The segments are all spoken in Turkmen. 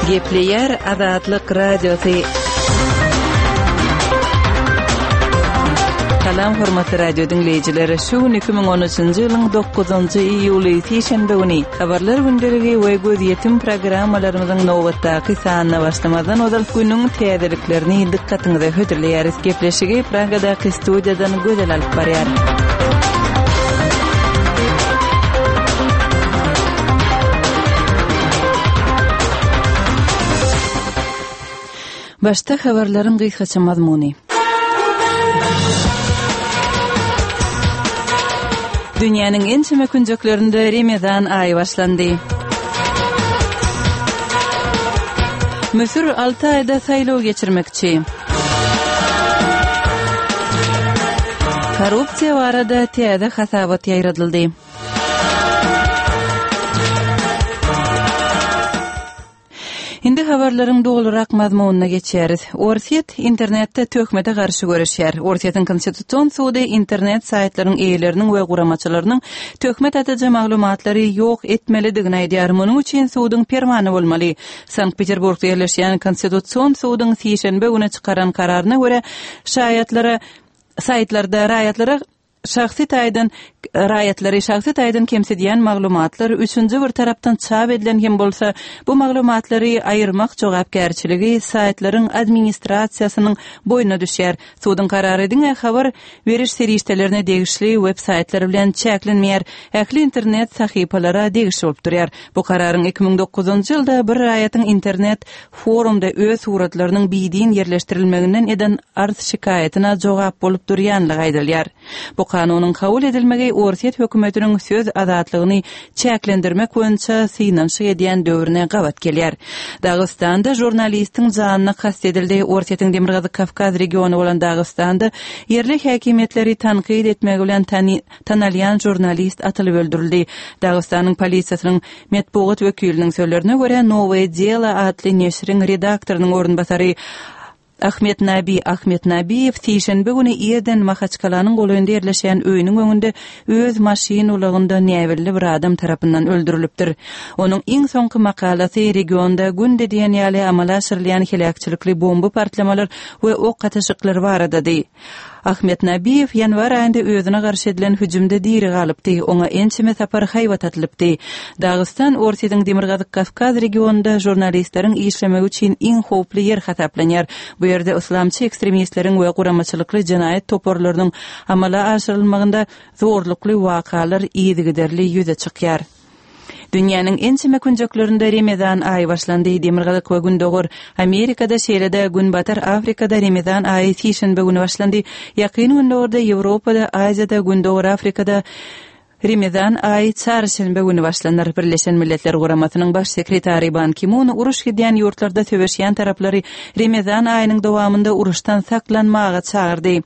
Gepleýär Azatlyk Radiosy. Salam hormatly radio diňleýjiler. Şu gün 2013-nji ýylyň 9-njy iýuly sişenbe güni Habarlar gündeligi we gözýetim programmalarymyzyň nobatdaky sanyna başlamazdan ozal günüň täzeliklerini dykgatyňyza hödürleýäris. Gepleşigi Pragadaky studiýadan Gözel alyp barýar. Başda habarlaryň gysgaça mazmuny. Dünýäniň ençeme künjeklerinde Remezan aýy başlandy. Müsür alty aýda saýlaw geçirmekçi. Korrupsiýa barada täze hasabat ýaýradyldy. Indi habarlaryň dolurak mazmunyna geçýäris. Orsýet internetde töhmete garşy göreşýär. Orsýetiň Konstitusion sudy internet saýtlaryň eýeleriniň we guramaçylarynyň töhmet atyjy maglumatlary ýok etmelidigini aýdýar. Munuň üçin suduň permany bolmaly. Sankt-Peterburgda ýerleşýän Konstitusion suduň sişenbe güni çykaran kararyna görä, şaýatlara saýtlarda raýatlara Şahsy taýdan raýatlary şahsy taýdan kemsidýän maglumatlar üçünji bir tarapdan çap edilen hem bolsa, bu maglumatlary aýyrmak jogapkärçiligi saýtlaryň administrasiýasynyň boýnuna düşýär. Suduň karary diňe habar beriş serişdelerine degişli web-saýtlar bilen çäklenmeýär, ähli internet sahypalara degişli bolup durýar. Bu kararyň 2009-njy ýylda bir raýatyň internet forumda öz suratlarynyň bidin ýerleşdirilmeginden eden arz-şikaýatyna jogap bolup durýanlygy aýdylýar. Bu kanunyň kabul edilmegi Orsýet hökümetiniň söz azatlygyny çäklendirmek boýunça synanyşyk edýän döwrüne gabat gelýär. Dagystanda žurnalistiň janyna kast edildi Orsýetiň Demirgazyk Kawkaz regiony bolan Dagystanda ýerli häkimiýetleri tankyt etmegi bilen tanalýan žurnalist atylyp öldürildi. Dagystanyň polisiýasynyň Metbugat wekiliniň sözlerine görä, Nowoe delo atly neşiriň redaktorynyň orunbasary Ahmetnabi Ahmetnabiýew sişenbe güni irden Mahaçkalanyň golaýynda ýerleşýän öýüniň öňünde öz maşyn ulagynda näbelli bir adam tarapyndan öldürilipdir. Onuň iň soňky makalasy regionda günde diýen ýaly amala aşyrylýan heläkçilikli bomba partlamalar we ok atyşyklar baradady. Ahmet Nabiýew ýanwar aýynda özüne garşy edilen hüjümde diri galypdy, oňa ençeme sapar haýbat atylypdy. Dagystan Orsýetiň Demirgazyk Kawkaz regionynda žurnalistleriň işlemegi üçin iň howply ýer hasaplanýar. Bu ýerde yslamçy ekstremistleriň we guramaçylykly jenaýat toparlarynyň amala aşyrylmagynda zorlukly wakalar yzygiderli ýüze çykýar. Dünýäniň ençeme künjeklerinde Remezan aýy başlandy. Demirgazyk we Gündogar Amerikada, şeýle-de Günbatar Afrikada Remezan aýy sişenbe güni başlandy. Ýakyn Gündogarda, Ýewropada, Aziýada, Gündogar Afrikada Remezan aýy çarşenbe güni başlanar. Birleşen Milletler Guramasynyň Baş sekretary Ban Ki-mun uruş gidýän ýurtlarda söweşýän taraplary Remezan aýynyň dowamynda uruşdan saklanmaga çagyrdy.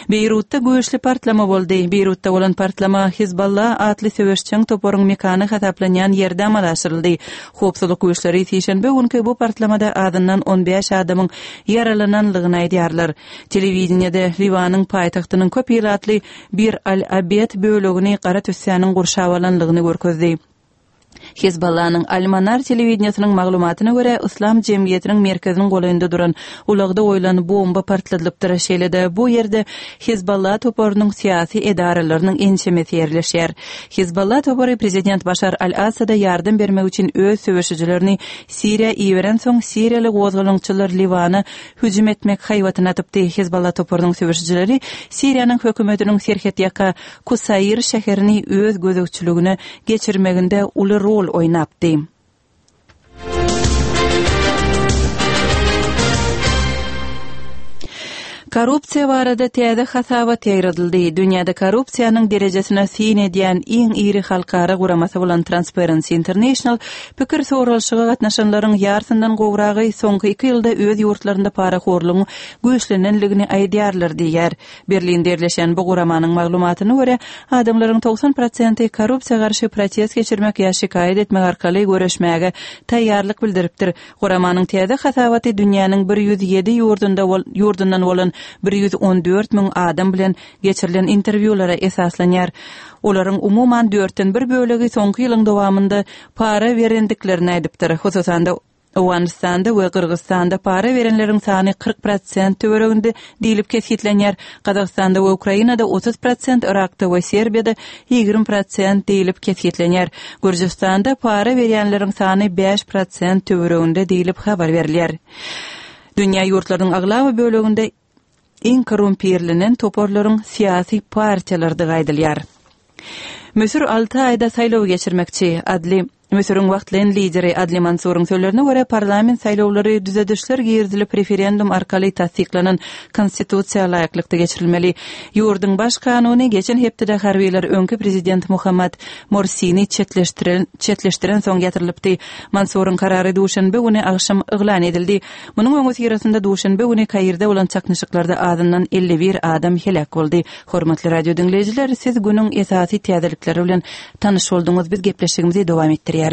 Beýrutda güýçli partlama boldy. Beýrutda bolan partlama Hizballah atly söweşjeň toparyň mekany hasaplanýan ýerde amala aşyryldy. Howpsuzlyk güýçleri sişenbe günki bu partlamada azyndan 15 adamyň ýaralananlygyny aýdýarlar. Telewideniýede Liwanyň paýtagtynyň köp ilatly Bir al-Abed bölegini gara tüssäniň gurşap alanlygyny görkezdi. Hezbollanyň Al-Manar telewideniýesiniň maglumatyna görä, Yslam jemgyýetiniň merkeziniň golaýynda duran ulagda goýlan bomba partladylypdyr. Şeýle-de, bu ýerde Hezbollah toparynyň syýasy edaralarynyň ençemesi ýerleşýär. Hezbollah topary prezident Başar al-Assada ýardam bermek üçin öz söweşijilerini Siriýa iberensoň, siriýaly gozgalaňçylar Liwana hüjüm etmek haýbatyny atypdy. Hezbollah toparynyň söweşijileri Siriýanyň hökümetiniň serhetýaka Kusair şäherini öz gözegçiligine geçirmeginde uly rol oýnapdy. Korrupsiýa barada täze hasabat ýaýradyldy. Dünýäde korrupsiýanyň derejesine syn edýän iň iri halkara guramasy bolan Transparency International pikir soralyşyga gatnaşanlaryň ýarsyndan gowragy soňky iki ýylda öz ýurtlarynda parahorlugyň güýçlenenligini aýdýarlar diýýär. Berlinde ýerleşen bu guramanyň maglumatyna görä, adamlaryň 90 prosenti korrupsiýa garşy protest geçirmek ýa şikaýat etmek arkaly göreşmäge taýýarlyk bildiripdir. Guramanyň täze hasabaty dünýäniň 107 ýurdunda ýurdundan bolan 114 müň adam bilen geçirilen interwýulara esaslanýar. Olaryň umuman dörtden bir bölegi soňky ýylyň dowamynda para berendiklerini aýdypdyr. Hususan-da. Owganystanda we Gyrgyzystanda para berenleriň sany 40 prosent töwereginde diýlip kesgitlenýär. Gazagystanda we Ukrainada 30 prosent, Yrakda we Serbiýada 20 prosent diýlip kesgitlenýär. Gürjüstanda para berýänleriň sany 5 prosent töwereginde diýlip habar berilýär. Dünýä ýurtlarynyň aglaba böleginde iň korrumpirlenen toparlaryň syýasy partiýalardygy aýdylýar. Müsür alty aýda saýlaw geçirmekçi, Adli Müsüriň wagtlaýyn lideri Adli Mansuryň sözlerine görä, parlament saýlawlary düzedişler girizilip referendum arkaly tassyklanan konstitusiýa laýyklykda geçirilmeli. Ýurduň baş kanuny geçen hepdede harbylar öňki prezident Muhammad Morsini çetleşdiren çetleşdirensoň ýatyrylypdy. Mansuryň karary duşenbe güni agşam yglan edildi. Munuň öňüsyrasynda duşenbe güni Kairde bolan çaknyşyklarda azyndan 51 adam heläk boldy. Hormatly radio diňleýjiler, siz günüň esasy täzelikleri bilen tanyş bolduňyz. Biz gepleşigimizi dowam etdirýäris.